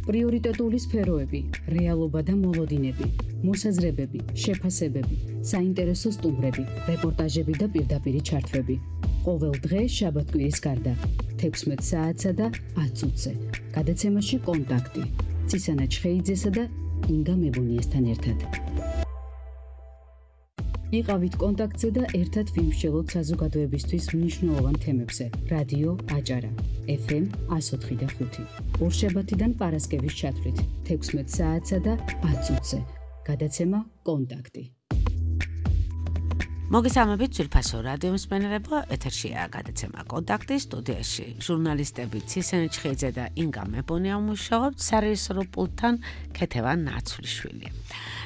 პრიორიტეტული სფეროები, რეალობა და მოლოდინები, მოსაზრებები, შეფასებები, საინტერესო სტუმრები, რეპორტაჟები და პირდაპირი ჩართვები. ყოველ დღე შაბათ-კვირის გარდა 16 საათსა და 10 წუთზე. გადაცემაში კონტაქტი. ცისანა ჩხეიძესა და ინგა მებონიასთან ერთად. იყავით კონტაქტზე და ერთად ვიმსჯელოთ საზოგადოებისთვის მნიშვნელოვან თემებზე. რადიო აჭარა, FM 104.5. ორშაბათიდან პარასკევის ჩათვლით 16 საათსა და 10 წუთზე. გადაცემა კონტაქტი. მოგესალმებით ძვირფასო რადიო მსმენელებო, ეთერშია გადაცემა კონტაქტი, სტუდიაში ჟურნალისტები ცისანა ჩხეიძე და ინგა მებონია მუშაობთ, სარეჟისორო პულტთან ქეთევან ნაცვლიშვილი.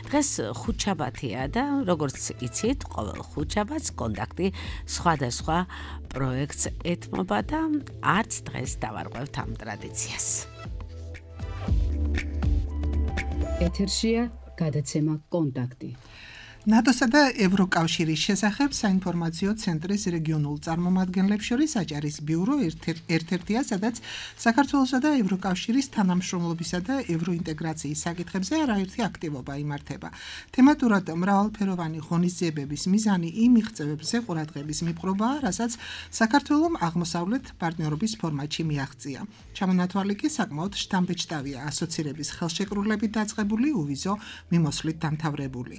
დღეს ხუთშაბათია და როგორც იცით, ყოველ ხუთშაბათს კონტაქტი სხვადასხვა პროექტს ეთმობა და არც დღეს დავარღვევთ ამ ტრადიციას. ეთერშია გადაცემა კონტაქტი. ნატოსა და ევროკავშირის შესახებ საინფორმაციო ცენტრის რეგიონულ წარმომადგენლებს შორის აჭარის ბიურო ერთ-ერთია, სადაც საქართველოსა და ევროკავშირის თანამშრომლობისა და ევროინტეგრაციის საკითხებზე არაერთი აქტივობა იმართება. თემატურად მრავალფეროვანი ღონისძიებების მიზანი იმ მიღწევებზე ყურადღების მიპყრობაა, რასაც საქართველომ აღმოსავლეთ პარტნიორობის ფორმატში მიაღწია. ჩამონათვალი კი საკმაოდ შთამბეჭდავია, ასოცირების ხელშეკრულებით დაწყებული, უვიზო მიმოსვლით დამთავრებული.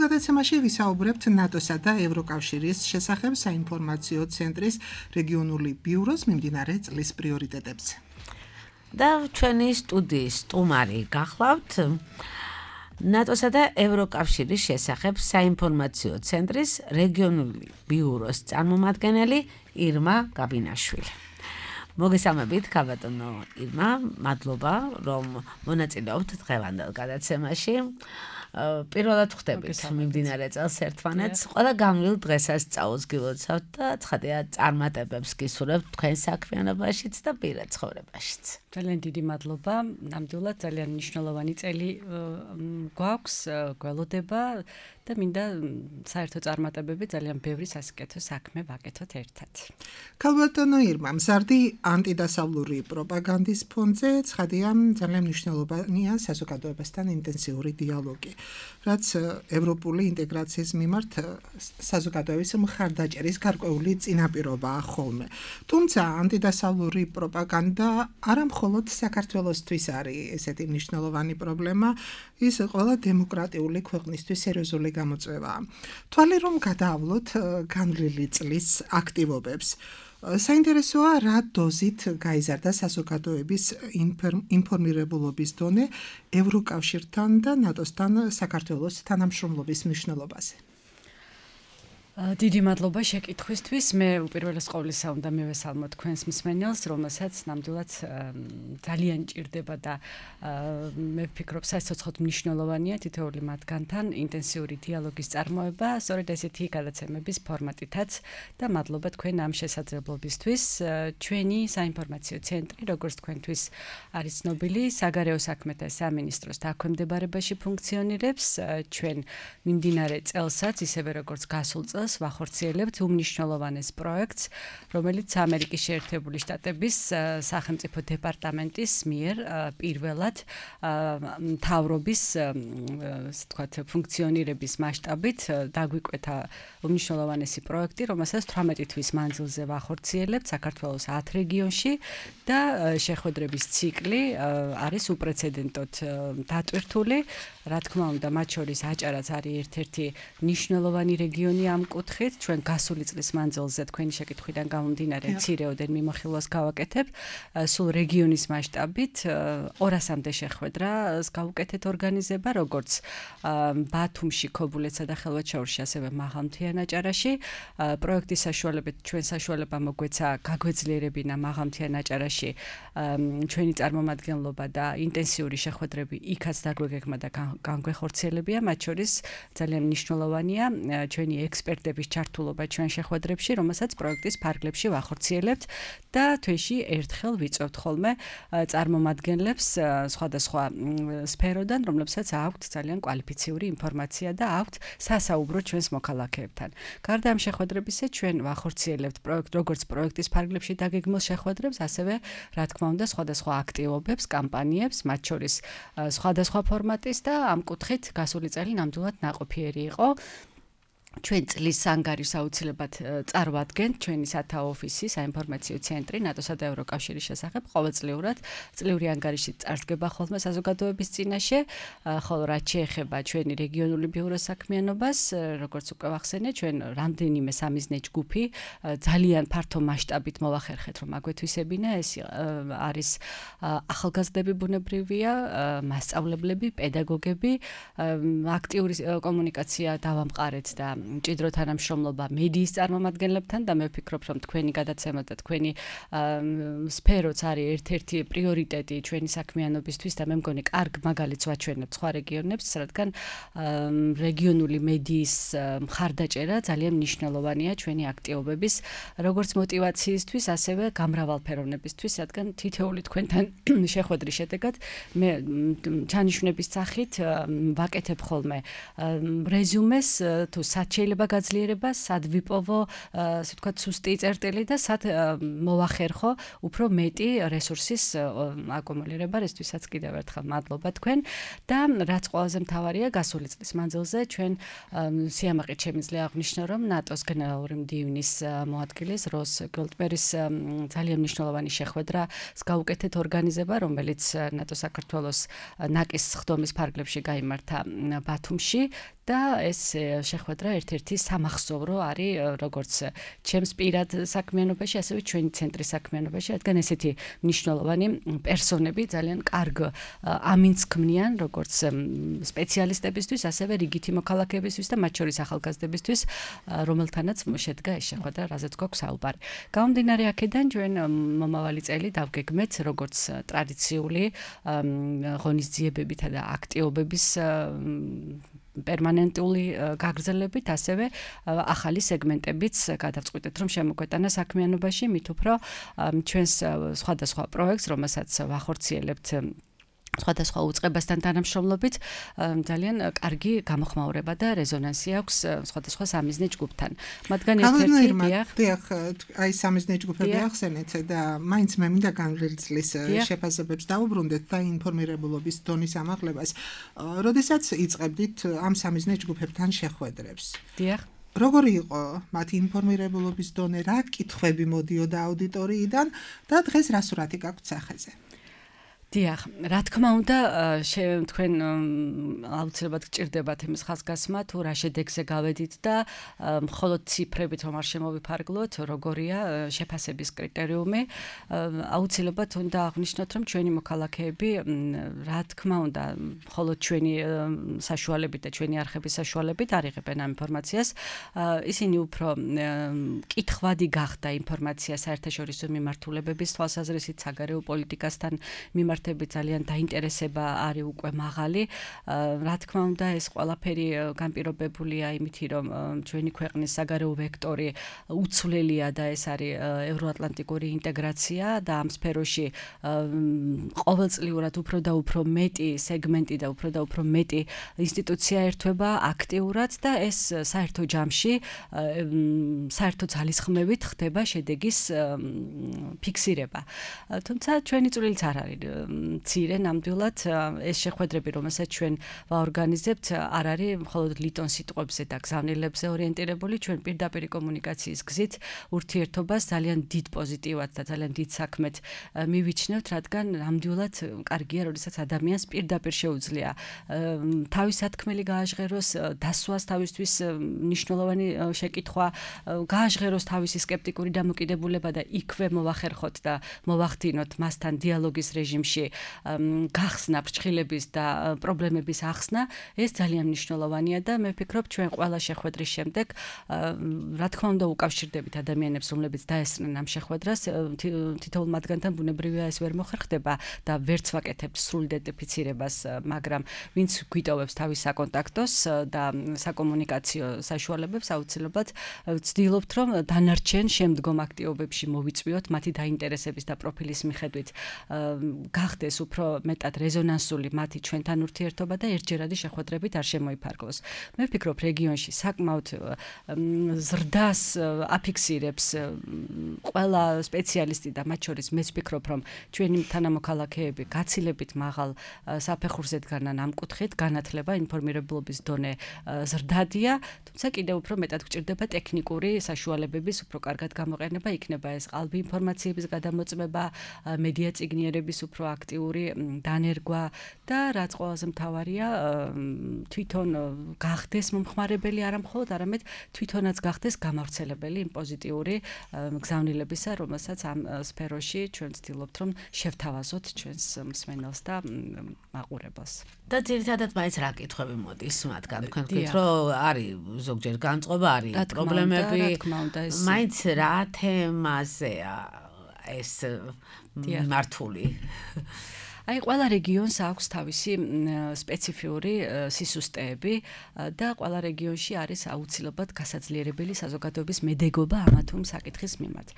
გადაცემაში ვისაუბრებთ ნატოსა და ევროკავშირის შესახებ საინფორმაციო ცენტრის რეგიონული ბიუროს მიმდინარე წლის პრიორიტეტებზე. და ჩვენი სტუდიის სტუმარი გახლავთ ნატოსა და ევროკავშირის შესახებ საინფორმაციო ცენტრის რეგიონული ბიუროს წარმომადგენელი ირმა გაბინაშვილი. მოგესალმებით, ქალბატონო ირმა, მადლობა, რომ მონაწილეობთ დღევანდელ გადაცემაში. პირველად ხვდებით მიმდინარე წელს ერთმანეთს. ყველა გამლილ დღესაც წაუს გილოცავთ და ცხადია წარმატებებს გისურვებთ თქვენ საქმიანობაშიც და პირად ცხოვრებაშიც. ძალიან დიდი მადლობა. ნამდვილად ძალიან მნიშვნელოვანი წელი გვაქვს, გველოდება და მინდა საერთო წარმატებები ძალიან ბევრი სასიკეთო საქმე ვაკეთოთ ერთად. ქალბატონო ირმა, მზარდი ანტიდასავლური პროპაგანდის ფონზე ცხადია ძალიან მნიშვნელოვანია საზოგადოებასთან ინტენსიური დიალოგი, რაც ევროპული ინტეგრაციის მიმართ საზოგადოების მხარდაჭერის გარკვეული წინაპირობაა ხოლმე. თუმცა ანტიდასავლური პროპაგანდა არა მხოლოდ საქართველოსთვის არის ესეთი მნიშვნელოვანი პრობლემა, ის ყველა დემოკრატიული ქვეყნისთვის სერიოზული გამოწვევაა. თვალი რომ გადაავლოთ განვლილი წლის აქტივობებს. საინტერესოა, რა დოზით გაიზარდა საზოგადოების ინფორმირებულობის დონე ევროკავშირთან და ნატოსთან საქართველოს თანამშრომლობის მნიშვნელობაზე. დიდი მადლობა შეკითხვისთვის. მე უპირველეს ყოვლისა უნდა მივესალმოთ თქვენს მსმენელს, რომელსაც ნამდვილად ძალიან ჭირდება და მე ვფიქრობ, საერთოდ მნიშვნელოვანია თითოეული მათგანთან ინტენსიური დიალოგის წარმოება, სწორედ ესეთი გადაცემების ფორმატითაც და მადლობა თქვენ ამ შესაძლებლობისთვის. ჩვენი საინფორმაციო ცენტრი, როგორც თქვენთვის არის ცნობილი, საგარეო საქმეთა სამინისტროს დაქვემდებარებაში ფუნქციონირებს. ჩვენ მიმდინარე წელსაც, ისევე როგორც გასულ წელს ვახორციელებთ უმნიშვნელოვანეს პროექტს, რომელიც ამერიკის შეერთებული შტატების სახელმწიფო დეპარტამენტის მიერ პირველად მთავრობის ფუნქციონირების მასშტაბით დაგვიკვეთა უმნიშვნელოვანესი პროექტი, რომელსაც 18 თვის მანძილზე ვახორციელებთ საქართველოს 10 რეგიონში და შეხვედრების ციკლი არის უპრეცედენტოდ დატვირთული. რა თქმა უნდა, მათ შორის აჭარაც არის ერთ-ერთი მნიშვნელოვანი რეგიონი ამ კუთხით. ჩვენ გასული წლის მანძილზე თქვენი შეკითხვიდან გამომდინარე მცირეოდენ მიმოხილვას გავაკეთებ. სულ რეგიონის მასშტაბით 200-მდე შეხვედრას გავუკეთეთ ორგანიზება, როგორც ბათუმში, ქობულეთსა და ხელვაჩაურში, ასევე მაღალმთიან აჭარაში. პროექტის საშუალებით ჩვენ საშუალება მოგვეცა გაგვეძლიერებინა მაღალმთიან აჭარაში ჩვენი წარმომადგენლობა და ინტენსიური შეხვედრები იქაც დაგვეგეგმა და განგვეხორციელებია. მათ შორის ძალიან მნიშვნელოვანია ჩვენი ექსპერტ ექსპერტების ჩართულობა ჩვენ შეხვედრებში, რომელსაც პროექტის ფარგლებში ვახორციელებთ და თვეში ერთხელ ვიწევთ ხოლმე წარმომადგენლებს სხვადასხვა სფეროდან, რომლებსაც აქვთ ძალიან კვალიფიციური ინფორმაცია და აქვთ სასაუბრო ჩვენს მოქალაქეებთან. გარდა ამ შეხვედრებისა, ჩვენ ვახორციელებთ როგორც პროექტის ფარგლებში დაგეგმილ შეხვედრებს, ასევე რა თქმა უნდა სხვადასხვა აქტივობებს, კამპანიებს, მათ შორის სხვადასხვა ფორმატის და ამ კუთხით გასული წელი ნამდვილად ნაყოფიერი იყო. ჩვენ წლის ანგარიშს აუცილებლად წარვადგენთ ჩვენი სათაო ოფისი, საინფორმაციო ცენტრი ნატოსა და ევროკავშირის შესახებ ყოველწლიურად წლიური ანგარიში წარსდგება ხოლმე საზოგადოების წინაშე, ხოლო რაც შეეხება ჩვენი რეგიონული ბიუროს საქმიანობას, როგორც უკვე ვახსენე, ჩვენ რამდენიმე სამიზნე ჯგუფი ძალიან ფართო მასშტაბით მოვახერხეთ, რომ აგვეთვისებინა, ეს არის ახალგაზრდები ბუნებრივია, მასწავლებლები, პედაგოგები, აქტიური კომუნიკაცია დავამყარეთ და მჭიდრო თანამშრომლობა მედიის წარმომადგენლებთან და მე ვფიქრობ, რომ თქვენი გადაცემა და თქვენი სფეროც არის ერთ-ერთი პრიორიტეტი ჩვენი საქმიანობისთვის და მე მგონი კარგ მაგალითს ვაჩვენებთ სხვა რეგიონებს, რადგან რეგიონული მედიის მხარდაჭერა ძალიან მნიშვნელოვანია ჩვენი აქტივობების როგორც мотиваციისთვის, ასევე გამრავალფეროვნებისთვის, რადგან თითოეული თქვენთან შეხვედრის შედეგად მე ჩანიშვნების სახით ვაკეთებ ხოლმე რეზიუმეს თუ შეიძლება გაძლიერება, სად ვიპოვო, ასე ვთქვათ, სუსტი წერტილი და სად მოვახერხო უფრო მეტი რესურსის აკუმულირება, რისთვისაც კიდევ ერთხელ მადლობა თქვენ და რაც ყველაზე მთავარია, გასული წლის მანძილზე ჩვენ სიამაყით შემიძლია აღვნიშნო, რომ ნატოს გენერალური მდივნის მოადგილის როს გოლდბერის ძალიან მნიშვნელოვანი შეხვედრას გაუკეთეთ ორგანიზება, რომელიც ნატო საქართველოს ნაკის სხდომის ფარგლებში გაიმართა ბათუმში და ეს შეხვედრა ერთ-ერთი სამახსოვრო არის როგორც ჩემს პირად საქმიანობაში, ასევე ჩვენი ცენტრის საქმიანობაში, რადგან ესეთი მნიშვნელოვანი პერსონები ძალიან კარგ ამინს ქმნიან როგორც სპეციალისტებისთვის, ასევე რიგითი მოქალაქეებისთვის და მათ შორის ახალგაზრდებისთვის, რომელთანაც შედგა ეს შეხვედრა, რაზეც გვაქვს საუბარი. გამომდინარე აქედან ჩვენ მომავალი წელი დავგეგმეთ როგორც ტრადიციული ღონისძიებებითა და აქტივობების პერმანენტული გაგრძელებით, ასევე ახალი სეგმენტებიც გადავწყვიტეთ, რომ შემოგვეტანა საქმიანობაში, მით უფრო ჩვენს სხვადასხვა პროექტს, რომელსაც ვახორციელებთ სხვადასხვა უწყებასთან თანამშრომლობით, ძალიან კარგი გამოხმაურება და რეზონანსი აქვს სხვადასხვა სამიზნე ჯგუფთან. მათგან ერთ-ერთი აი სამიზნე ჯგუფები ახსენეთ და მაინც მე მინდა განვლილი წლის შეფასებებს დავუბრუნდეთ და ინფორმირებულობის დონის ამაღლებას. როდესაც იწყებდით ამ სამიზნე ჯგუფებთან შეხვედრებს? დიახ. როგორი იყო მათი ინფორმირებულობის დონე, რა კითხვები მოდიოდა აუდიტორიიდან და დღეს რა სურათი გაქვთ სახეზე? დიახ, რა თქმა უნდა, თქვენ აუცილებლად გჭირდებათ იმის ხაზგასმა, თუ რა შედეგზე გავედით და მხოლოდ ციფრებით რომ არ შემოვიფარგლოთ, როგორია შეფასების კრიტერიუმი. აუცილებლად უნდა აღვნიშნოთ, რომ ჩვენი მოქალაქეები, რა თქმა უნდა, მხოლოდ ჩვენი საშუალებით და ჩვენი არხების საშუალებით არ იღებენ ამ ინფორმაციას. ისინი უფრო კითხვადი გახდა ინფორმაცია საერთაშორისო მიმართულებების თვალსაზრისით, საგარეო პოლიტიკასთან მიმართ ძალიან დაინტერესება არის უკვე მაღალი. რა თქმა უნდა, ეს ყველაფერი განპირობებულია იმითი, რომ ჩვენი ქვეყნის საგარეო ვექტორი უცვლელია და ეს არის ევროატლანტიკური ინტეგრაცია და ამ სფეროში ყოველწლიურად უფრო და უფრო მეტი სეგმენტი და უფრო მეტი ინსტიტუცია ერთვება აქტიურად და ეს საერთო ჯამში საერთო ძალისხმევით ხდება შედეგის ფიქსირება. თუმცა ჩვენი წვლილიც არ არის მცირე, ნამდვილად ეს შეხვედრები, რომელსაც ჩვენ ვაორგანიზებთ, არ არის მხოლოდ ლიტონ სიტყვებზე და გზავნილებზე ორიენტირებული, ჩვენ პირდაპირ კომუნიკაციის გზით ურთიერთობას ძალიან დიდ პოზიტივად და ძალიან დიდ საქმეთ მივიჩნევთ, რადგან ნამდვილად კარგია, როდესაც ადამიანს პირდაპირ შეუძლია თავის სათქმელი გააჟღეროს, დასვას თავისთვის მნიშვნელოვანი შეკითხვა, გააჟღეროს თავისი სკეპტიკური დამოკიდებულება და იქვე მოვახერხოთ და მოვახდინოთ მასთან დიალოგის რეჟიმში რეგიონში გახსნა ფრჩხილების და პრობლემების ახსნა ეს ძალიან მნიშვნელოვანია და მე ვფიქრობ ჩვენ ყველა შეხვედრის შემდეგ რა თქმა უნდა უკავშირდებით ადამიანებს რომლებიც დაესწრნენ ამ შეხვედრას თითოეულ მათგანთან ბუნებრივია ეს ვერ მოხერხდება და ვერც ვაკეთებთ სრულ იდენტიფიცირებას მაგრამ ვინც გვიტოვებს თავის საკონტაქტოს და საკომუნიკაციო საშუალებებს აუცილებლად ვცდილობთ რომ დანარჩენ შემდგომ აქტივობებში მოვიწვიოთ მათი დაინტერესების და პროფილის მიხედვით გახდეს უფრო მეტად რეზონანსული მათი ჩვენთან ურთიერთობა და ერთჯერადი შეხვედრებით არ შემოიფარგლოს. მე ვფიქრობ რეგიონში საკმაოდ ზრდას აფიქსირებს ყველა სპეციალისტი და მათ შორის მეც ვფიქრობ რომ ჩვენი თანამოქალაქეები გაცილებით მაღალ საფეხურზე დგანან ამ კუთხით განათლება ინფორმირებულობის დონე ზრდადია თუმცა კიდევ უფრო მეტად გვჭირდება ტექნიკური საშუალებების უფრო კარგად გამოყენება იქნება ეს ყალბი ინფორმაციების გადამოწმება მედია წიგნიერების უფრო აქტიური დანერგვა და რაც ყველაზე მთავარია თვითონ გახდეს მომხმარებელი არა მხოლოდ არამედ თვითონაც გახდეს გამავრცელებელი იმ პოზიტიური გზავნილებისა რომელსაც ამ სფეროში ჩვენ ვცდილობთ რომ შევთავაზოთ ჩვენს მსმენელს და მაყურებელს და ძირითადად მაინც რა კითხვები მოდის მათგან თქვენ გქით რომ არის ზოგჯერ განწყობა არის პრობლემები მაინც რა თემაზეა ეს მართული აი ყველა რეგიონს აქვს თავისი სპეციფიური სისუსტეები და ყველა რეგიონში არის აუცილებლად გასაძლიერებელი საზოგადოების მედეგობა ამა თუ იმ საკითხის მიმართ.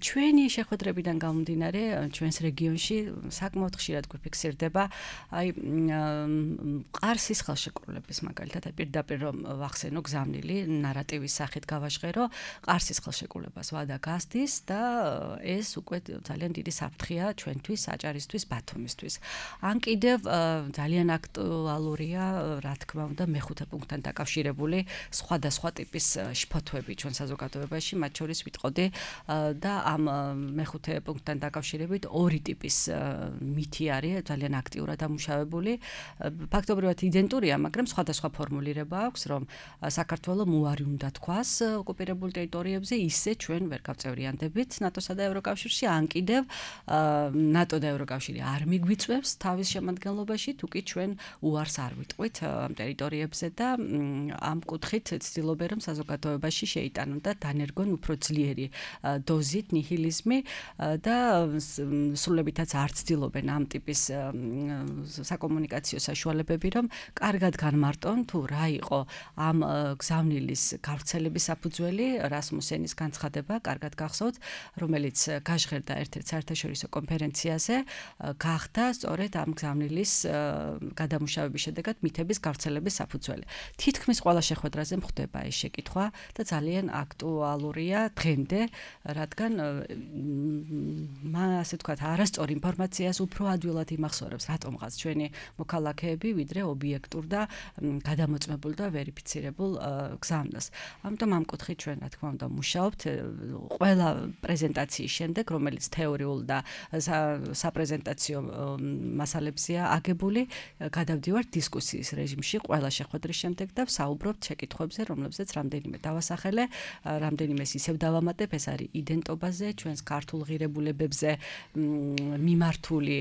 ჩვენი შეხვედრებიდან გამომდინარე, ჩვენს რეგიონში საკმაოდ ხშირად გვიფიქსირდება აი ყარსის ხელშეკრულების მაგალითად პირდაპირ რომ ვახსენო გზავნილი ნარატივის სახით გავაჟღერო ყარსის ხელშეკრულებას ვადა გასდის და ეს უკვე ძალიან დიდი საფრთხეა ჩვენთვის, აჭარისთვის, ბათუმის ან კიდევ ძალიან აქტუალურია, რა თქმა უნდა, მეხუთე პუნქტთან დაკავშირებული სხვადასხვა ტიპის შფოთვები ჩვენ საზოგადოებაში, მათ შორის ვიტყოდი და ამ მეხუთე პუნქტთან დაკავშირებით ორი ტიპის მითი არის ძალიან აქტიურად ამუშავებული. ფაქტობრივად იდენტურია, მაგრამ სხვადასხვა ფორმულირება აქვს, რომ საქართველოს უარი უნდა თქვას ოკუპირებულ ტერიტორიებზე, ისე ჩვენ ვერ გავწევრიანდებით ნატოსა და ევროკავშირში, ან კიდევ ნატო და ევროკავშირი არ გვიწევს თავის შემადგენლობაში, თუ კი ჩვენ უარს არ ვიტყვით ამ ტერიტორიებზე და ამ კუთხით ცდილობენ რომ საზოგადოებაში შეიტანონ და დანერგონ უფრო ძლიერი დოზით ნიჰილიზმი და სრულებითაც არ ცდილობენ ამ ტიპის საკომუნიკაციო საშუალებები რომ კარგად განმარტონ თუ რა იყო ამ გზავნილის გავრცელების საფუძველი რასმუსენის განცხადება კარგად გახსოვთ რომელიც გაჟღერდა ერთ-ერთ საერთაშორისო კონფერენციაზე გახდა სწორედ ამ გზავნილის გადამუშავების შედეგად მითების გავრცელების საფუძველი. თითქმის ყველა შეხვედრაზე მხდება ეს შეკითხვა და ძალიან აქტუალურია დღემდე, რადგან ასე ვთქვათ, არასწორ ინფორმაციას უფრო ადვილად იმახსოვრებს რატომღაც ჩვენი მოქალაქეები, ვიდრე ობიექტურ და გადამოწმებულ და ვერიფიცირებულ გზავნას. ამიტომ ამ კუთხით ჩვენ რა თქმა უნდა მუშაობთ ყველა პრეზენტაციის შემდეგ, რომელიც თეორიულ და საპრეზენტაციო მასალებზეა აგებული, გადავდივართ დისკუსიის რეჟიმში ყველა შეხვედრის შემდეგ და ვსაუბრობთ შეკითხვებზე, რომლებზეც რამდენიმე დავასახელე, რამდენიმეს ისევ დავამატებ, ეს არის იდენტობაზე, ჩვენს ქართულ ღირებულებებზე მიმართული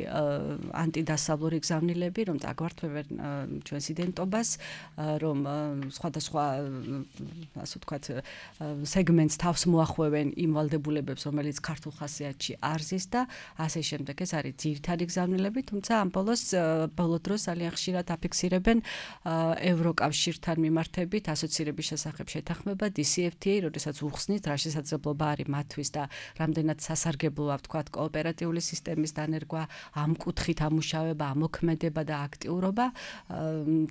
ანტიდასავლური გზავნილები, რომ წაგვართვებენ ჩვენს იდენტობას, რომ სხვადასხვა ასე ვთქვათ სეგმენტს თავს მოახვევენ იმ ვალდებულებებს, რომელიც ქართულ ხასიათში არ ზის და ასე შემდეგ. ეს არის ძირითადი გზავნილები, თუმცა ამ ბოლო დროს ძალიან ხშირად აფიქსირებენ ევროკავშირთან მიმართებით ასოცირების შესახებ შეთანხმება DCFTA, როდესაც უხსნით რა შესაძლებლობა არის მათთვის და რამდენად სასარგებლოა ვთქვათ კოოპერატიული სისტემის დანერგვა, ამ კუთხით ამუშავება, ამოქმედება და აქტიურობა.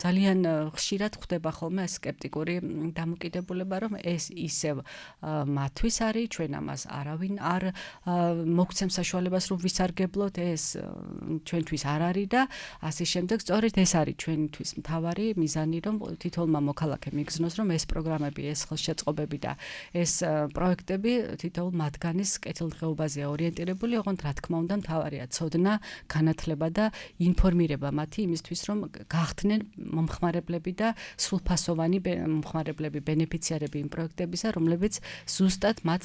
ძალიან ხშირად ხდება ხოლმე სკეპტიკური დამოკიდებულება, რომ ეს ისევ მათთვის არის, ჩვენ ამას არავინ არ მოგცემს საშუალებას რომ ვისარგებლოთ, ეს ჩვენთვის არ არის და ასე შემდეგ. სწორედ ეს არის ჩვენთვის მთავარი მიზანი, რომ თითოეულმა მოქალაქემ იგრძნოს, რომ ეს პროგრამები, ეს ხელშეწყობები და ეს პროექტები თითოეულ მათგანის კეთილდღეობაზე ორიენტირებული, ოღონდ რა თქმა უნდა მთავარია ცოდნა, განათლება და ინფორმირება მათი იმისთვის, რომ გახდნენ მომხმარებლები და სრულფასოვანი მომხმარებლები, ბენეფიციარები იმ პროექტებისა, რომლებიც ზუსტად მათ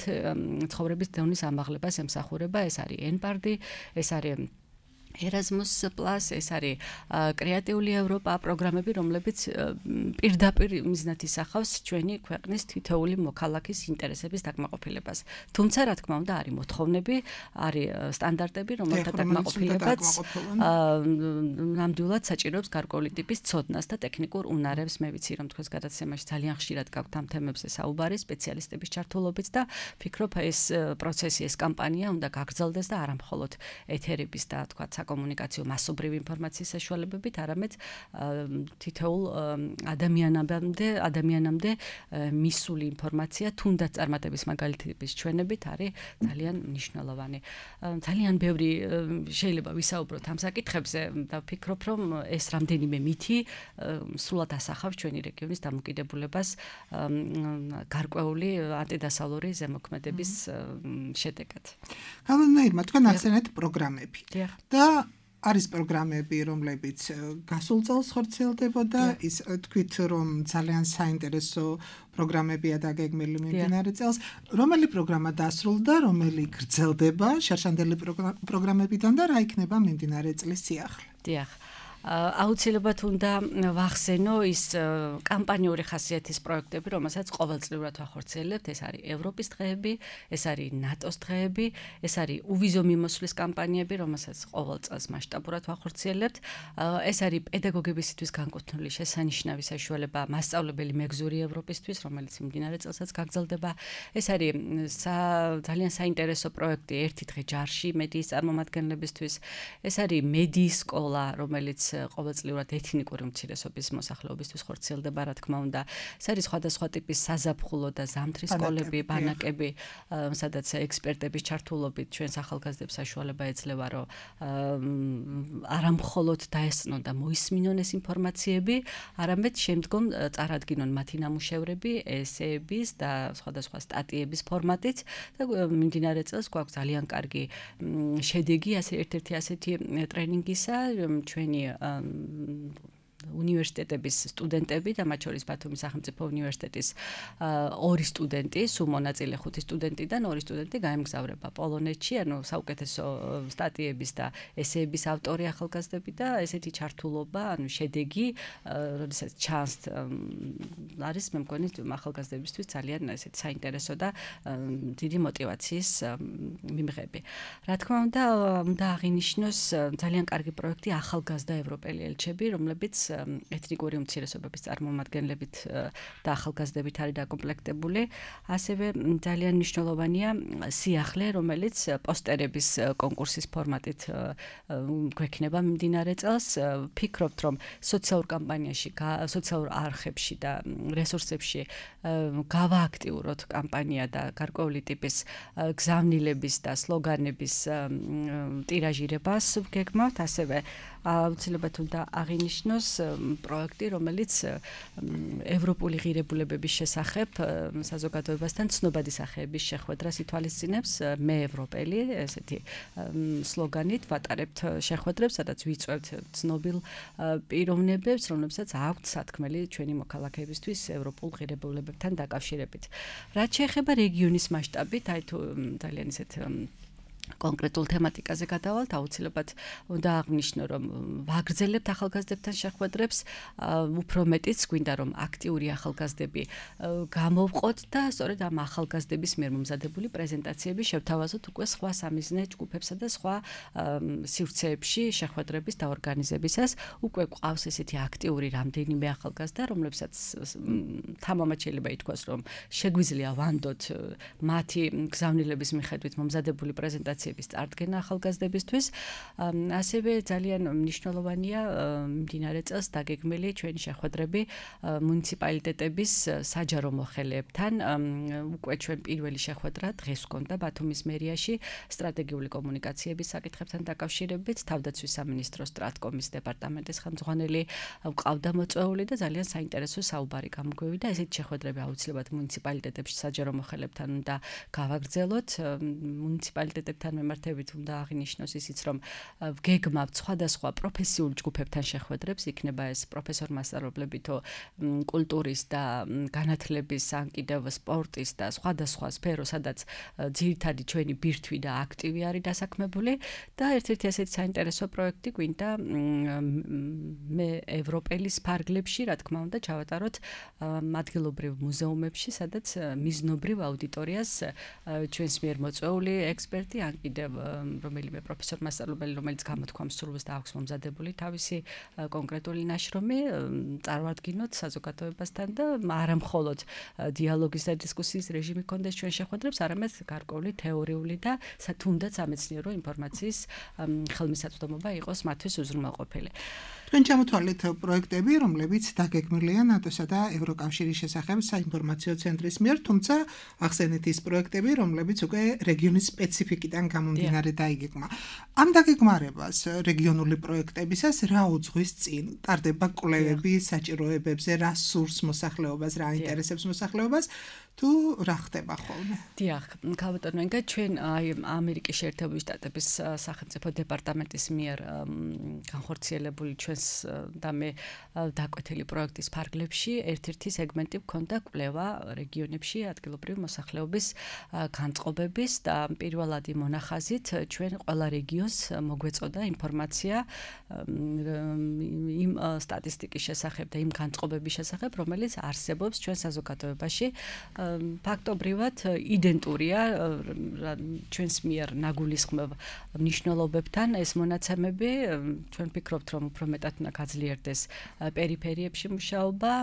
ცხოვრების დონის ამაღლებას ემსახურება. ეს არის ENPARD, ეს არის Erasmus Plus ეს არის კრეატიული ევროპა პროგრამები, რომლებიც პირდაპირ მიზნად ისახავს ჩვენი ქვეყნის თითოეული მოქალაქის ინტერესების დაკმაყოფილებას. თუმცა, რა თქმა უნდა, არის მოთხოვნები, არის სტანდარტები, რომელთა დაკმაყოფილებაც ნამდვილად საჭიროებს გარკვეული ტიპის ცოდნას და ტექნიკურ უნარებს. მე ვიცი, რომ თქვენს გადაცემაში ძალიან ხშირად გაქვთ ამ თემებზე საუბარი სპეციალისტების ჩართულობით და ფიქრობ, ეს პროცესი, ეს კამპანია უნდა გაგრძელდეს და არა მხოლოდ ეთერების და თქვა საკომუნიკაციო მასობრივი ინფორმაციის საშუალებებით, არამედ თითოეულ ადამიანამდე მისული ინფორმაცია, თუნდაც წარმატების მაგალითების ჩვენებით არის ძალიან მნიშვნელოვანი. ძალიან ბევრი შეიძლება ვისაუბროთ ამ საკითხებზე და ვფიქრობ, რომ ეს რამდენიმე მითი სრულად ასახავს ჩვენი რეგიონის დამოკიდებულებას გარკვეული ანტიდასავლური ზემოქმედების შედეგად. Galvenais თქვენ ახსენეთ პროგრამები. და არის პროგრამები, რომლებიც გასულ წელს ხორციელდებოდა, ის თქვით, რომ ძალიან საინტერესო პროგრამებია დაგეგმილი მიმდინარე წელს. რომელი პროგრამა დასრულდა, რომელი გრძელდება შარშანდელი პროგრამებიდან და რა იქნება მიმდინარე წლის სიახლე? დიახ. აუცილებლად უნდა ვახსენო ის კამპანიური ხასიათის პროექტები, რომელსაც ყოველწლიურად ვახორციელებთ. ეს არის ევროპის დღეები, ეს არის ნატოს დღეები, ეს არის უვიზო მიმოსვლის კამპანიები, რომელსაც ყოველ წელს მასშტაბურად ვახორციელებთ. ეს არის პედაგოგებისთვის განკუთვნილი შესანიშნავი საშუალება მასწავლებელი მეგზური ევროპისთვის, რომელიც მიმდინარე წელსაც გაგრძელდება. ეს არის ძალიან საინტერესო პროექტი ერთი დღე ჯარში მედიის წარმომადგენლებისთვის. ეს არის მედიის სკოლა, რომელიც ყოველწლიურად ეთნიკური უმცირესობის მოსახლეობისთვის ხორციელდება, რა თქმა უნდა. ეს არის სხვადასხვა ტიპის საზაფხულო და ზამთრის სკოლები, ბანაკები, სადაც ექსპერტების ჩართულობით ჩვენს ახალგაზრდებს საშუალება ეძლევა, რომ არა მხოლოდ დაესწნონ და მოისმინონ ეს ინფორმაციები, არამედ შემდგომ წარადგინონ მათი ნამუშევრები, ესეების და სხვადასხვა სტატიების ფორმატით და მიმდინარე წელს გვაქვს ძალიან კარგი შედეგი, ერთ-ერთი ასეთი ტრენინგისა, ჩვენი უნივერსიტეტების სტუდენტები და მათ შორის ბათუმის სახელმწიფო უნივერსიტეტის 2 სტუდენტი, სულ მონაწილე 5 სტუდენტიდან 2 სტუდენტი გაემგზავრება პოლონეთში, ანუ საუკეთესო სტატიების და ესეების ავტორი ახალგაზრდები და ესეთი ჩართულობა, ანუ შედეგი, როდესაც ჩანს არის მე მგონი ახალგაზრდებისთვის ძალიან ესეთი საინტერესო და დიდი мотиваციის მიმღები. რა თქმა უნდა აღინიშნოს ძალიან კარგი პროექტი ახალგაზრდა ევროპელი ელჩები, რომლებიც ეთნიკური უმცირესობების წარმომადგენლებით და ახალგაზრდებით არის დაკომპლექტებული. ასევე ძალიან მნიშვნელოვანია სიახლე, რომელიც პოსტერების კონკურსის ფორმატით გვექნება მიმდინარე წელს. ფიქრობთ, რომ სოციალურ კამპანიაში, სოციალურ არხებში და რესურსებში გავააქტიუროთ კამპანია და გარკვეული ტიპის გზავნილების და სლოგანების ტირაჟირებას ვგეგმავთ. ასევე აუცილებლად უნდა აღინიშნოს პროექტი, რომელიც ევროპული ღირებულებების შესახებ საზოგადოებასთან ცნობადი სახეების შეხვედრას ითვალისწინებს. მე ევროპელი, ესეთი სლოგანით ვატარებთ შეხვედრებს, სადაც ვიწვევთ ცნობილ პიროვნებებს, რომლებსაც აქვთ სათქმელი ჩვენი მოქალაქეებისთვის ევროპულ ღირებულებებთან დაკავშირებით. რაც შეეხება რეგიონის მასშტაბით, აი თუ ძალიან ისეთ კონკრეტულ თემატიკაზე გადავალთ, აუცილებლად უნდა აღნიშნო, რომ ვაგრძელებთ ახალგაზრდებთან შეხვედრებს, უფრო მეტიც გვინდა, რომ აქტიური ახალგაზრდები გამოვყოთ და სწორედ ამ ახალგაზრდების მიერ მომზადებული პრეზენტაციები შევთავაზოთ უკვე სხვა სამიზნე ჯგუფებსა და სხვა სივრცეებში შეხვედრების დაორგანიზებისას. უკვე ყავს ესეთი აქტიური რამდენიმე ახალგაზრდა, რომლებსაც თამამად შეიძლება ითქვას, რომ შეგვიძლია ვანდოთ მათი გზავნილების მიხედვით მომზადებული პრეზენტაციების წარდგენა ახალგაზრდებისთვის. ასევე ძალიან მნიშვნელოვანია მიმდინარე წელს დაგეგმილი ჩვენი შეხვედრები მუნიციპალიტეტების საჯარო მოხელეებთან. უკვე ჩვენ პირველი შეხვედრა დღეს გქონდა ბათუმის მერიაში სტრატეგიული კომუნიკაციების საკითხებთან დაკავშირებით. თავდაცვის სამინისტროს სტრატკომის დეპარტამენტის ხელმძღვანელი ყავდა მოწვეული და ძალიან საინტერესო საუბარი გამოგვივიდა. ესეთი შეხვედრები აუცილებლად მუნიციპალიტეტებში საჯარო მოხელეებთან უნდა გავაგრძელოთ. მუნიციპალიტეტებთან მასალასთან მიმართებით უნდა აღინიშნოს ისიც, რომ გეგმავთ სხვადასხვა პროფესიულ ჯგუფებთან შეხვედრებს, იქნება ეს პროფესორ-მასწავლებლები თუ კულტურის და განათლების, ან კიდევ სპორტის და სხვადასხვა სფერო, სადაც ძირითადი ჩვენი ბირთვი და აქტივი არის დასაქმებული და ერთ-ერთი ასეთი საინტერესო პროექტი გვინდა მე ევროპელის ფარგლებში, რა თქმა უნდა, ჩავატაროთ ადგილობრივ მუზეუმებში, სადაც მიზნობრივ აუდიტორიას ჩვენს მიერ მოწვეული ექსპერტი, ან კიდევ რომელიმე პროფესორ-მასწავლებელი, რომელიც გამოთქვამს სურვილს და აქვს მომზადებული თავისი კონკრეტული ნაშრომი, წარვადგინოთ საზოგადოებასთან და არა მხოლოდ დიალოგის და დისკუსიის რეჟიმი კონდეს ჩვენ შეხვედრებს, არამედ გარკვეული თეორიული და თუნდაც სამეცნიერო ინფორმაციის ხელმისაწვდომობა იყოს მათთვის უზრუნველყოფილი. თქვენ ჩამოთვალეთ პროექტები, რომლებიც დაგეგმილია ნატოსა და ევროკავშირის შესახებ საინფორმაციო ცენტრის მიერ, თუმცა ახსენეთ ის პროექტები, რომლებიც უკვე რეგიონის სპეციფიკიდან გამომდინარე დაიგეგმა. ამ დაგეგმარებას რეგიონული პროექტებისას რა უძღვის წინ? ტარდება კვლევები საჭიროებებზე, რა სურს მოსახლეობას, რა აინტერესებს მოსახლეობას, თუ რა ხდება ხოლმე? დიახ, ქალბატონო ინგა, ჩვენ ამერიკის შეერთებული შტატების სახელმწიფო დეპარტამენტის მიერ განხორციელებული ჩვენს და მე დაკვეთილი პროექტის ფარგლებში ერთ-ერთი სეგმენტი გქონდა კვლევა რეგიონებში ადგილობრივი მოსახლეობის განწყობების და პირველადი მონახაზით ჩვენ ყველა რეგიონს მოგვეწოდა ინფორმაცია იმ სტატისტიკის შესახებ და იმ განწყობების შესახებ, რომელიც არსებობს ჩვენ საზოგადოებაში. ფაქტობრივად იდენტურია ჩვენს მიერ ნაგულისხმევ მნიშვნელობებთან ეს მონაცემები. ჩვენ ვფიქრობთ, რომ უფრო მეტად უნდა გაძლიერდეს პერიფერიებში მუშაობა,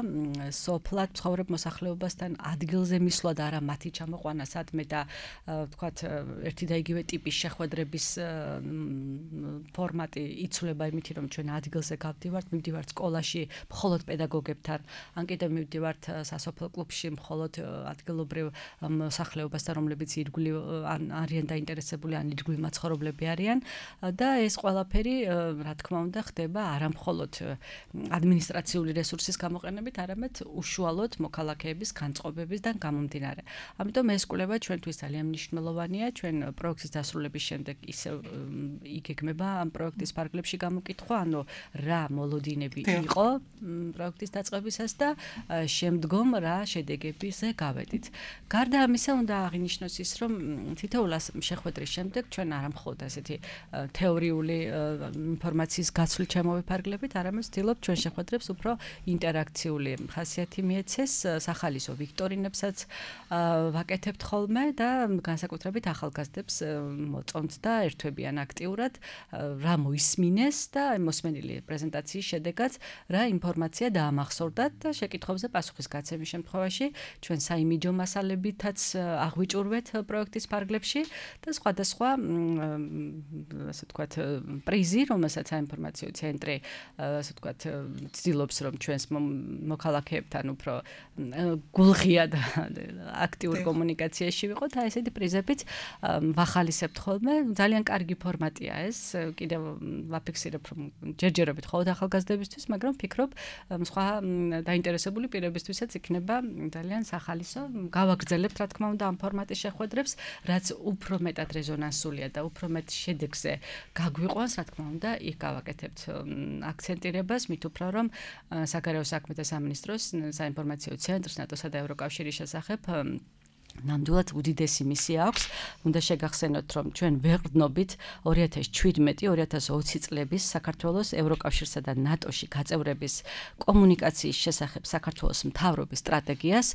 სოფლად ცხოვრებ მოსახლეობასთან ადგილზე მისვლა და არა მათი ჩამოყვანა სადმე და ვთქვათ ერთი და იგივე ტიპის შეხვედრების ფორმატი იცვლება იმითი, რომ ჩვენ ადგილზე გავდივართ, მივდივართ სკოლაში მხოლოდ პედაგოგებთან, ან კიდევ მივდივართ სასოფლო კლუბში მხოლოდ ადგილობრივ მოსახლეობასთან, რომლებიც ირგვლივ არიან დაინტერესებული, ან ირგვლივ მაცხოვრებლები არიან და ეს ყველაფერი, რა თქმა უნდა, ხდება არა მხოლოდ ადმინისტრაციული რესურსის გამოყენებით, არამედ უშუალოდ მოქალაქეების განწყობებისგან გამომდინარე. ამიტომ ეს კვლევა ჩვენთვის ძალიან მნიშვნელოვანია. ჩვენ პროექტის დასრულების შემდეგ ისევ იგეგმება ამ პროექტის ფარგლებში გამოკითხვა, ანუ რა მოლოდინები იყო პროექტის დაწყებისას და შემდგომ რა შედეგებზე გავედით. გარდა ამისა, უნდა აღინიშნოს ის, რომ თითოეულ შეხვედრის შემდეგ ჩვენ არა მხოლოდ ასეთი თეორიული ინფორმაციის გაცვლით ჩამოვიფარგლებით, არამედ ვცდილობთ ჩვენ შეხვედრებს უფრო ინტერაქციული ხასიათი მიეცეს, სახალისო ვიქტორინებსაც ვაკეთებთ ხოლმე და განსაკუთრებით ახალგაზრდებს მოწონთ და ერთვებიან აქტიურად რა მოისმინეს და მოსმენილი პრეზენტაციის შედეგად რა ინფორმაცია დაამახსოვრდათ და შეკითხვებზე პასუხის გაცემის შემთხვევაში ჩვენ საიმიჯო მასალებითაც აღვიჭურვეთ პროექტის ფარგლებში და სხვადასხვა ასე ვთქვათ პრიზი, რომელსაც საინფორმაციო ცენტრი ასე ვთქვათ ცდილობს, რომ ჩვენს მოქალაქეებთან უფრო გულღია და აქტიურ კომუნიკაციაში ვიყოთ, აი ესეთი პრიზებით ვახალისებთ ხოლმე. ძალიან კარგი ფორმატია ეს. კიდევ ვაფიქსირებ, რომ ჯერჯერობით მხოლოდ ახალგაზრდებისთვის, მაგრამ ვფიქრობ, სხვა დაინტერესებული პირებისთვისაც იქნება ძალიან სახალისო. გავაგრძელებთ, რა თქმა უნდა, ამ ფორმატის შეხვედრებს, რაც უფრო მეტად რეზონანსულია და უფრო მეტ შედეგზე გაგვიყვანს, რა თქმა უნდა, იქ გავაკეთებთ აქცენტირებას, მით უფრო რომ საგარეო საქმეთა სამინისტროს საინფორმაციო ცენტრს ნატოსა და ევროკავშირის შესახებ ნამდვილად უდიდესი მისია აქვს. უნდა შეგახსენოთ, რომ ჩვენ ვეღრდნობით 2017-2020 წლების საქართველოს ევროკავშირსა და ნატოში გაწევრების კომუნიკაციის შესახებ საქართველოს მთავრობის სტრატეგიას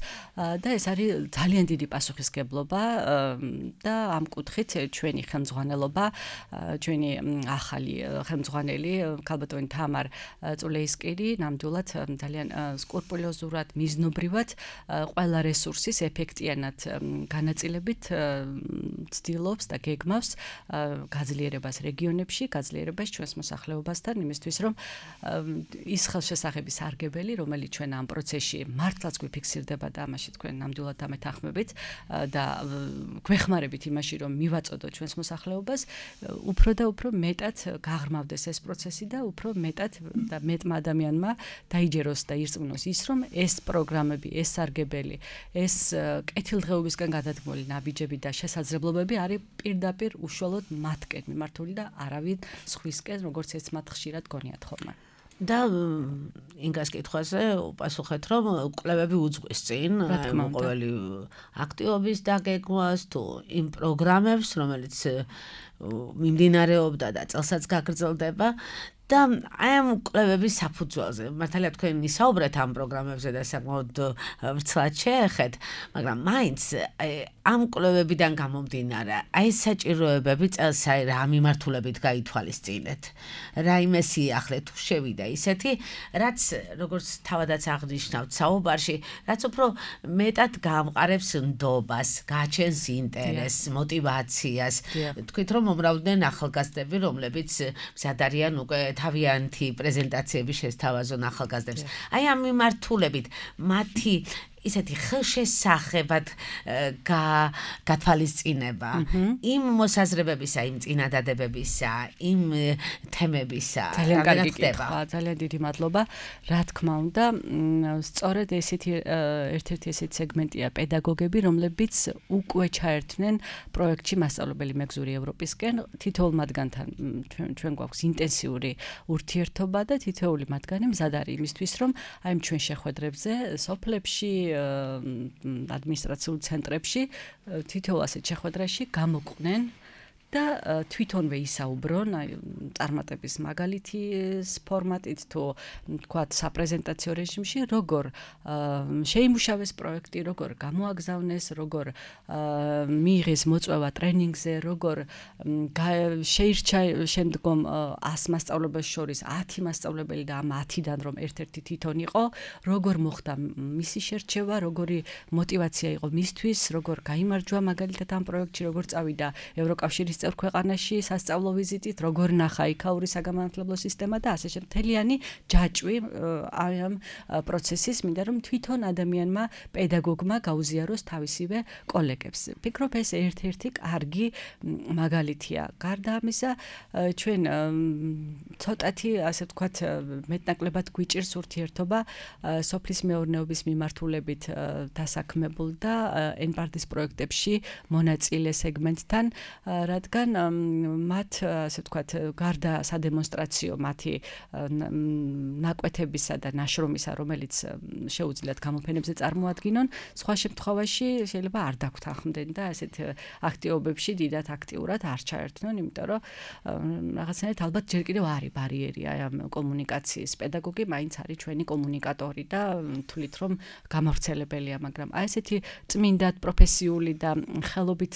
და ეს არის ძალიან დიდი პასუხისგებლობა და ამ კუთხით ჩვენი ხელმძღვანელობა, ჩვენი ახალი ხელმძღვანელი ქალბატონი თამარ წულეისკირი ნამდვილად ძალიან სკრუპულოზურად, მიზნობრივად ყველა რესურსის ეფექტიანად განაწილებით ცდილობს და გეგმავს გაძლიერებას რეგიონებში, გაძლიერებას ჩვენს მოსახლეობასთან, იმისთვის რომ ის ხელშესახების სარგებელი, რომელიც ჩვენ ამ პროცესში მართლაც გვიფიქსირდება და ამაში თქვენ ნამდვილად ამეთანხმებით და გვეხმარებით იმაში, რომ მივაწოდოთ ჩვენს მოსახლეობას, უფრო და უფრო მეტად გაღრმავდეს ეს პროცესი და უფრო მეტად და მეტმა ადამიანმა დაიჯეროს და ირწმუნოს ის, რომ ეს პროგრამები, ეს სარგებელი, ეს კეთილდღეობითი თანამშრომლობისგან გადადგმული ნაბიჯები და შესაძლებლობები არის პირდაპირ უშუალოდ მათკენ მიმართული და არავინ სხვისკენ, როგორც ეს მათ ხშირად გონიათ ხოლმე. და ინგას კითხვაზე უპასუხეთ, რომ კვლევები უძღვის წინ ყოველი აქტივობის დაგეგმვას თუ იმ პროგრამებს, რომელიც მიმდინარეობდა და წელსაც გაგრძელდება და აი ამ კვლევების საფუძველზე მართალია თქვენ ისაუბრეთ ამ პროგრამებზე და საკმაოდ ვრცლად შეეხეთ, მაგრამ მაინც ამ კვლევებიდან გამომდინარე, აი საჭიროებები წელს რა მიმართულებით გაითვალისწინეთ, რა იმეს იახლეთ თუ შევიდა ისეთი, რაც როგორც თავადაც აღნიშნავთ საუბარში, რაც უფრო მეტად გაამყარებს ნდობას, გააჩენს ინტერესს, мотиваციას. თქვით რომ მომრავლდნენ ახალგაზრდები, რომლებიც მზად არიან უკვე თავიანთი პრეზენტაციები შესთავაზონ ახალგაზრდებს. აი ამ მიმართულებით მათი ისეთი ხელშესახებად გათვალისწინება იმ მოსაზრებებისა, იმ წინადადებებისა, იმ თემებისა. ძალიან კარგი კითხვა, ძალიან დიდი მადლობა. რა თქმა უნდა, სწორედ ერთ-ერთი ესეთი სეგმენტია პედაგოგები, რომლებიც უკვე ჩაერთვნენ პროექტში მასწავლებელი მეგზური ევროპისკენ. თითოეულ მათგანთან ჩვენ გვაქვს ინტენსიური ურთიერთობა და თითოეული მათგანი მზად არის იმისთვის, რომ აი ჩვენ შეხვედრებზე სოფლებში ადმინისტრაციულ ცენტრებში თითოეულ ასეთ შეხვედრაში გამოყვნენ და თვითონვე ისაუბრონ წარმატების მაგალითის ფორმატით თუ თქვათ საპრეზენტაციო რეჟიმში, როგორ შეიმუშავეს პროექტი, როგორ გამოაგზავნეს, როგორ მიიღეს მოწვევა ტრენინგზე, როგორ შეირჩა შემდგომ 100 მასწავლებელს შორის 10 მასწავლებელი და ამ 10-დან რომ ერთ-ერთი თვითონ იყო, როგორ მოხდა მისი შერჩევა, როგორი мотиваცია იყო მისთვის, როგორ გაიმარჯვა მაგალითად ამ პროექტში, როგორ წავიდა ევროკავშირის წევრ ქვეყანაში სასწავლო ვიზიტით, როგორ ნახა იქაური საგამანათლებლო სისტემა და ასე შემდეგ. მთლიანი ჯაჭვი ამ პროცესის მინდა რომ თვითონ ადამიანმა, პედაგოგმა გაუზიაროს თავისივე კოლეგებს. ფიქრობ ეს ერთ-ერთი კარგი მაგალითია. გარდა ამისა, ჩვენ ცოტათი ასე ვთქვათ მეტნაკლებად გვიჭირს ურთიერთობა სოფლის მეურნეობის მიმართულებით დასაქმებულ და NPART-ის პროექტებში მონაწილე სეგმენტთან, რადგან მათ ასე ვთქვათ გარდა სადემონსტრაციო მათი ნაკვეთებისა და ნაშრომისა, რომელიც შეუძლიათ გამოფენებზე წარმოადგინონ, სხვა შემთხვევაში შეიძლება არ დაგვთანხმდნენ და ასეთ აქტივობებში დიდად აქტიურად არ ჩაერთვნონ, იმიტომ რომ რაღაცნაირად ალბათ ჯერ კიდევ არის ბარიერი აი ამ კომუნიკაციის. პედაგოგი მაინც არის ჩვენი კომუნიკატორი და თვლით რომ გამავრცელებელია, მაგრამ აი ესეთი წმინდად პროფესიული და ხელობით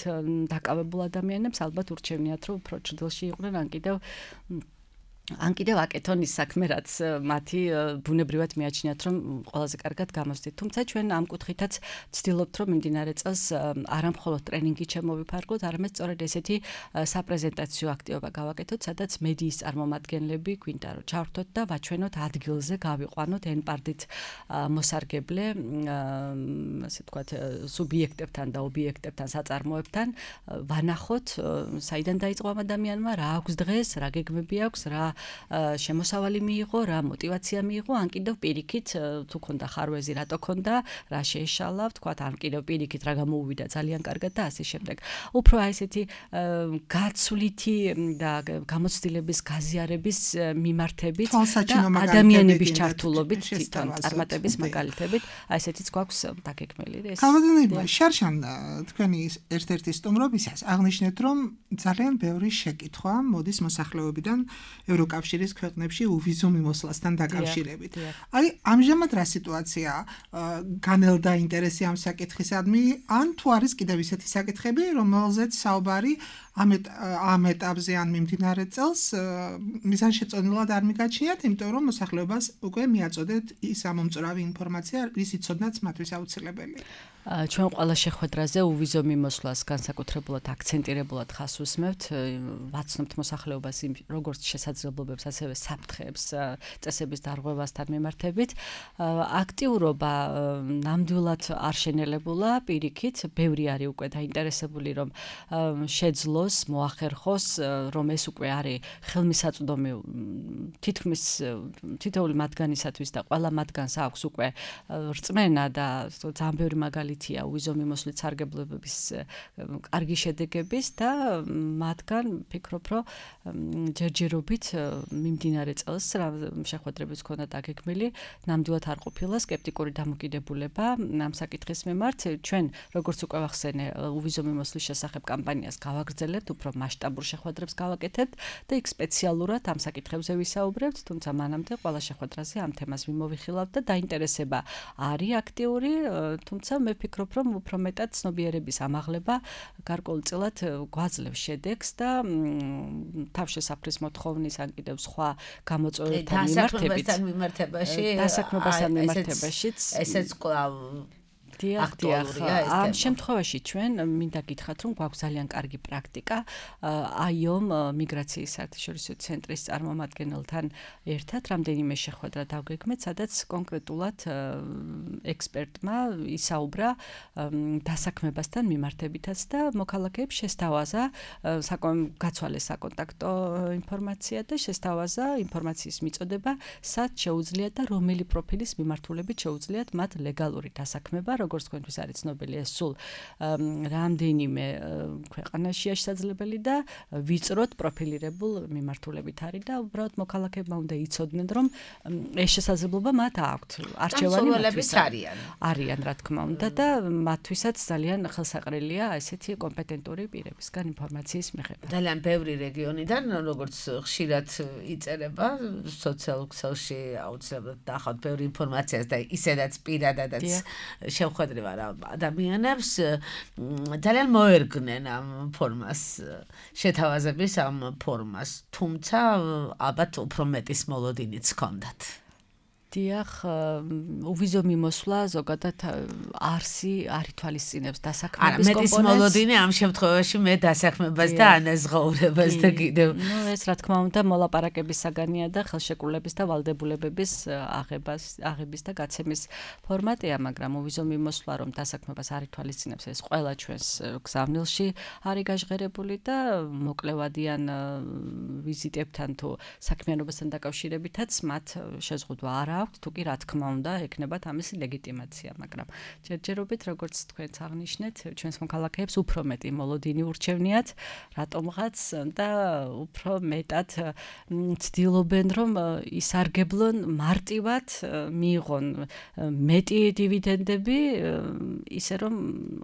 დაკავებულ ადამიანებს ალბათ ურჩევნიათ რომ უფრო ჭრილში იყვნენ ან კიდევ აკეთონ ის საქმე, რაც მათი ბუნებრივად მიაჩნიათ, რომ ყველაზე კარგად გამოსდით. თუმცა ჩვენ ამ კუთხითაც ვცდილობთ, რომ მიმდინარე წელს არა მხოლოდ ტრენინგი შემოვიფარგლოთ, არამედ სწორედ ესეთი საპრეზენტაციო აქტივობა გავაკეთოთ, სადაც მედიის წარმომადგენლები გვინდა რომ ჩავრთოთ და ვაჩვენოთ ადგილზე, გავიყვანოთ NPART-ით მოსარგებლე, ასე ვთქვათ, სუბიექტებთან და ობიექტებთან, საწარმოებთან, ვანახოთ, საიდან დაიწყო ამ ადამიანმა, რა აქვს დღეს, რა გეგმები აქვს, რა შემოსავალი მიიღო, რა мотиваცია მიიღო, ან კიდევ პირიქით თუ ქონდა ხარვეზი, რატო ქონდა, რა შეეშალა, ვთქვათ, ან კიდევ პირიქით რა გამოუვიდა ძალიან კარგად და ასე შემდეგ. უფრო აი ესეთი გაცვლითი და გამოცდილების გაზიარების მიმართებით და ადამიანების ჩართულობით, თვითონ წარმატების მაგალითებით, აი ესეთიც გვაქვს დაგეგმილი. გამოდინება, შარშან თქვენი ერთ-ერთი სტუმრობისას აღნიშნეთ, რომ ძალიან ბევრი შეკითხვა მოდის მოსახლეობიდან ევროკავშირის ქვეყნებში უვიზო მიმოსვლასთან დაკავშირებით. აი, ამჟამად რა სიტუაციაა? განელდა ინტერესი ამ საკითხისადმი, ან თუ არის კიდევ ისეთი საკითხები, რომელზეც საუბარი ამ ეტაპზე ან მიმდინარე წელს მიზანშეწონილად არ მიგაჩნიათ, იმიტომ რომ მოსახლეობას უკვე მიაწოდეთ ის ამომწურავი ინფორმაცია, რის იცოდნაც მათთვის აუცილებელია. ჩვენ ყველა შეხვედრაზე უვიზო მიმოსვლას განსაკუთრებულად აქცენტირებულად ხას უსმევთ, ვაცნობთ მოსახლეობას როგორც შესაძლებლობებს, ასევე საფრთხეებს წესების დარღვევასთან მიმართებით. აქტიურობა ნამდვილად არ შენელებულა, პირიქით, ბევრი არის უკვე დაინტერესებული, რომ შეძლოს მიიღოს, მოახერხოს, რომ ეს უკვე არის ხელმისაწვდომი თითქმის თითოეული მათგანისათვის და ყველა მათგანს აქვს უკვე რწმენა და ძალიან ბევრი მაგალითია უვიზო მიმოსვლის სარგებლობების კარგი შედეგების და მათგან ფიქრობ, რომ ჯერჯერობით მიმდინარე წელს შეხვედრებიც ქონდა დაგეგმილი, ნამდვილად არ ყოფილა სკეპტიკური დამოკიდებულება ამ საკითხის მიმართ. ჩვენ როგორც უკვე ვახსენე, უვიზო მიმოსვლის შესახებ კამპანიას გავაგრძელებთ, უფრო მასშტაბურ შეხვედრებს გავაკეთებთ და იქ სპეციალურად ამ საკითხებზე ვისაუბრებთ, თუმცა მანამდე ყველა შეხვედრაზე ამ თემას ვიმოვიხილავთ და დაინტერესება არის აქტიური, თუმცა მე ვფიქრობ, რომ უფრო მეტად ცნობიერების ამაღლება გარკვეულწილად გვაძლევს შედეგს და თავშესაფრის მოთხოვნის ან კიდევ სხვა გამოწვევებთან მიმართებაშიც ესეც კვლავ დიახ, ამ შემთხვევაში ჩვენ მინდა გითხრათ, რომ გვაქვს ძალიან კარგი პრაქტიკა IOM მიგრაციის საერთაშორისო ცენტრის წარმომადგენელთან ერთად რამდენიმე შეხვედრა დავგეგმეთ, სადაც კონკრეტულად ექსპერტმა ისაუბრა დასაქმებასთან მიმართებითაც და მოქალაქეებს შესთავაზა გაცვალეს საკონტაქტო ინფორმაცია და შესთავაზა ინფორმაციის მიწოდება, სად შეუძლიათ და რომელი პროფილის მიმართულებით შეუძლიათ მათ ლეგალური დასაქმება, როგორც თქვენთვის არის ცნობილი, ეს სულ რამდენიმე ქვეყანაშია შესაძლებელი და ვიწროდ პროფილირებულ მიმართულებით არის და უბრალოდ მოქალაქეებმა უნდა იცოდნენ, რომ ეს შესაძლებლობა მათ აქვთ. არჩევანი მათთვის არიან, რა თქმა უნდა და მათთვისაც ძალიან ხელსაყრელია ესეთი კომპეტენტური პირებისგან ინფორმაციის მიღება. ძალიან ბევრი რეგიონიდან, როგორც ხშირად იწერება სოციალურ ქსელში აუცილებლად დაახავთ ბევრი ინფორმაციას და ისედაც პირადადაც შეხვედრება ადამიანებს ძალიან მოერგნენ ამ ფორმას, შეთავაზების ამ ფორმას, თუმცა ალბათ უფრო მეტის მოლოდინიც ჰქონდათ. დიახ, უვიზო მიმოსვლა ზოგადად არსი არ ითვალისწინებს დასაქმების კომპონენტს. მეტის მოლოდინი ამ შემთხვევაში მე დასაქმებას და ანაზღაურებას და კიდევ. ეს რა თქმა უნდა მოლაპარაკების საგანია და ხელშეკრულების და ვალდებულებების აღების და გაცემის ფორმატია, მაგრამ უვიზო მიმოსვლა რომ დასაქმებას არ ითვალისწინებს, ეს ყველა ჩვენს გზავნილში არის გაჟღერებული და მოკლევადიან ვიზიტებთან თუ საქმიანობასთან დაკავშირებითაც მათ შეზღუდვა არ აქვს, თუ კი რა თქმა უნდა ექნებათ ამისი ლეგიტიმაცია, მაგრამ ჯერჯერობით როგორც თქვენც აღნიშნეთ, ჩვენს მოქალაქეებს უფრო მეტი მოლოდინი ურჩევნიათ, რატომღაც და უფრო მეტად ცდილობენ, რომ ისარგებლონ მარტივად, მიიღონ მეტი დივიდენდები, ისე რომ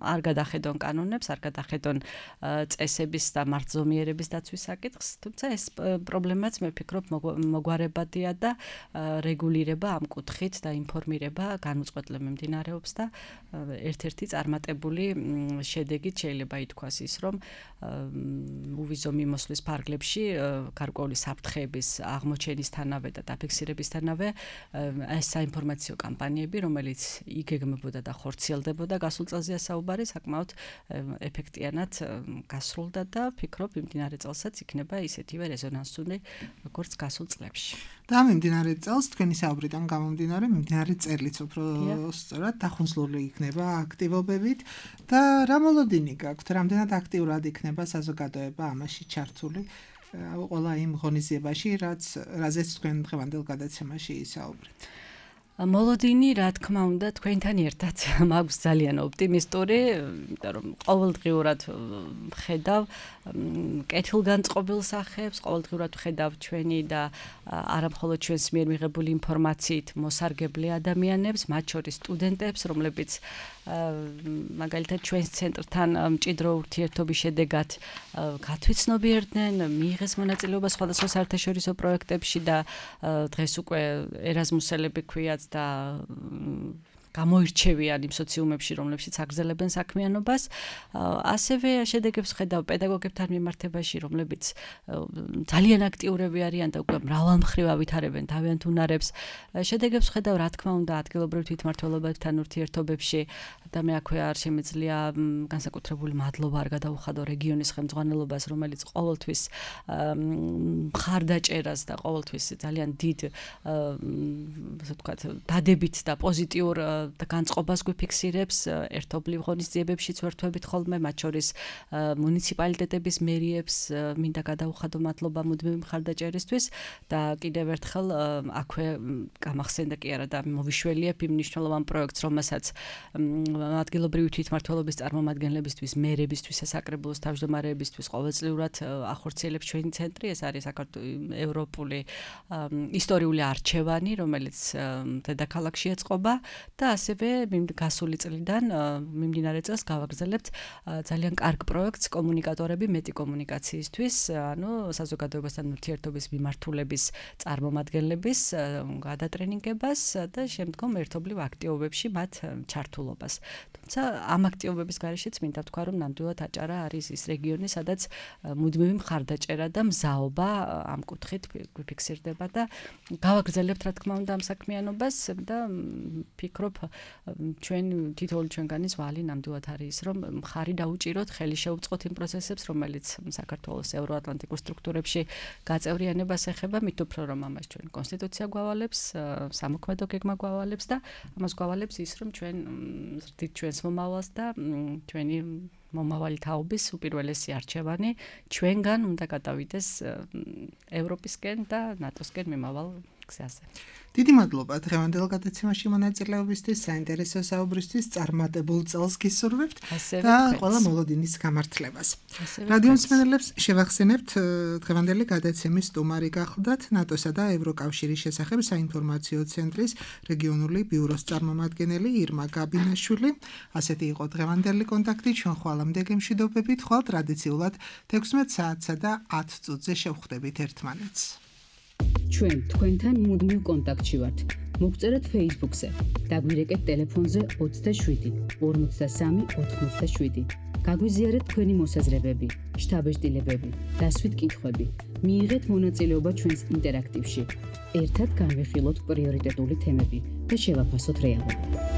არ გადახედონ კანონებს, არ გადახედონ წესების და მართლზომიერების დაცვის საკითხს, თუმცა ეს პრობლემაც მე ვფიქრობ მოგვარებადია და რეგულირება ამ კუთხით და ინფორმირება განუწყვეტლად მიმდინარეობს და ერთ-ერთი წარმატებული შედეგით შეიძლება ითქვას ის, რომ უვიზო მიმოსვლის ფარგლებში გარკვეული საფრთხეების აღმოჩენისთანავე და დაფიქსირებისთანავე ეს საინფორმაციო კამპანიები, რომელიც იგეგმებოდა და ხორციელდებოდა გასულ წელზეა საუბარი, საკმაოდ ეფექტიანად გასრულდა და ვფიქრობ მიმდინარე წელსაც იქნება ისეთივე რეზონანსული, როგორც გასულ წლებში. და მიმდინარე წელს თქვენი საუბრიდან გამომდინარე, მიმდინარე წელიც უფრო სწორად დახუნძლული იქნება აქტივობებით და რა მოლოდინი გაქვთ, რამდენად აქტიურად იქნება საზოგადოება ამაში ჩართული ყველა იმ ღონისძიებაში, რაზეც თქვენ დღევანდელ გადაცემაში ისაუბრეთ. მოლოდინი, რა თქმა უნდა, თქვენთან ერთად მაქვს ძალიან ოპტიმისტური, იმიტომ რომ ყოველდღიურად ხედავ კეთილგანწყობილ სახეებს, ყოველდღიურად ხედავ ჩვენი და არა მხოლოდ ჩვენს მიერ მიღებული ინფორმაციით მოსარგებლე ადამიანებს, მათ შორის სტუდენტებს, რომლებიც მაგალითად ჩვენს ცენტრთან მჭიდრო ურთიერთობის შედეგად გათვითცნობიერდნენ, მიიღეს მონაწილეობა სხვადასხვა საერთაშორისო პროექტებში და დღეს უკვე ერაზმუსელები ქვიათ და გამოირჩევიან იმ სოციუმებში, რომლებშიც აგრძელებენ საქმიანობას. ასევე შედეგებს ხედავ პედაგოგებთან მიმართებაში, რომლებიც ძალიან აქტიურები არიან და უკვე მრავალმხრივ ავითარებენ თავიანთ უნარებს. შედეგებს ხედავ, რა თქმა უნდა, ადგილობრივ თვითმმართველობებთან ურთიერთობებში და მე აქვე არ შემიძლია განსაკუთრებული მადლობა არ გადაუხადო რეგიონის ხელმძღვანელობას, რომელიც ყოველთვის მხარდაჭერას და ყოველთვის ძალიან დიდ, ასე ვთქვათ, დადებით და პოზიტიურ და განწყობას გვიფიქსირებს ერთობლივ ღონისძიებებშიც ვერთვებით ხოლმე, მათ შორის მუნიციპალიტეტების მერიებს მინდა გადაუხადო მადლობა მუდმივი მხარდაჭერისთვის და კიდევ ერთხელ აქვე გამახსენდა კი არა და მოვიშველიებ იმ მნიშვნელოვან პროექტს, რომელსაც ადგილობრივი თვითმმართველობის წარმომადგენლებისთვის, მერებისთვის, საკრებულოს თავმჯდომარეებისთვის ყოველწლიურად ახორციელებს ჩვენი ცენტრი. ეს არის საქართველოს ევროპული ისტორიული არჩევანი, რომელიც დედაქალაქში ეწყობა და ასევე გასული წლიდან მიმდინარე წელს გავაგრძელებთ ძალიან კარგ პროექტს კომუნიკატორები მეტი კომუნიკაციისთვის, ანუ საზოგადოებასთან ურთიერთობის მიმართულების წარმომადგენლების გადატრენინგებას და შემდგომ ერთობლივ აქტივობებში მათ ჩართულობას. თუმცა ამ აქტივობების გარეშეც მინდა ვთქვა, რომ ნამდვილად აჭარა არის ის რეგიონი, სადაც მუდმივი მხარდაჭერა და მზაობა ამ კუთხით გვიფიქსირდება და გავაგრძელებთ რა თქმა უნდა ამ საქმიანობას და ფიქრობ ჩვენ თითოეული ჩვენგანის ვალი ნამდვილად არის ის, რომ მხარი დაუჭიროთ, ხელი შეუწყოთ იმ პროცესებს, რომელიც საქართველოს ევროატლანტიკურ სტრუქტურებში გაწევრიანებას ეხება, მით უფრო რომ ამას ჩვენ კონსტიტუცია გვავალებს, სამოქმედო გეგმა გვავალებს და ამას გვავალებს ის, რომ ჩვენ ზრდით ჩვენს მომავალს და ჩვენი მომავალი თაობის უპირველესი არჩევანი ჩვენგან უნდა გადავიდეს ევროპისკენ და ნატოსკენ მიმავალ გზაზე. დიდი მადლობა დღევანდელ გადაცემაში მონაწილეობისთვის, საინტერესო საუბრისთვის, წარმატებულ წელს გისურვებთ და ყველა მოლოდინის გამართლებას. რადიო მსმენელებს შევახსენებთ, დღევანდელი გადაცემის სტუმარი გახლდათ ნატოსა და ევროკავშირის შესახებ საინფორმაციო ცენტრის რეგიონული ბიუროს წარმომადგენელი ირმა გაბინაშვილი. ასეთი იყო დღევანდელი კონტაქტი, ჩვენ ხვალამდე გემშვიდობებით, ხვალ ტრადიციულად 16 საათსა და 10 წუთზე შევხვდებით ერთმანეთს. ჩვენ თქვენთან მუდმივ კონტაქტში ვართ. მოგწერეთ Facebook-ზე, დაგვირეკეთ ტელეფონზე 27 53 87. გაგვიზიარეთ თქვენი მოსაზრებები, შთაბეჭდილებები, დასვით კითხვები. მიიღეთ მონაწილეობა ჩვენს ინტერაქტივში. ერთად განვიხილოთ პრიორიტეტული თემები და შევაფასოთ რეალობა.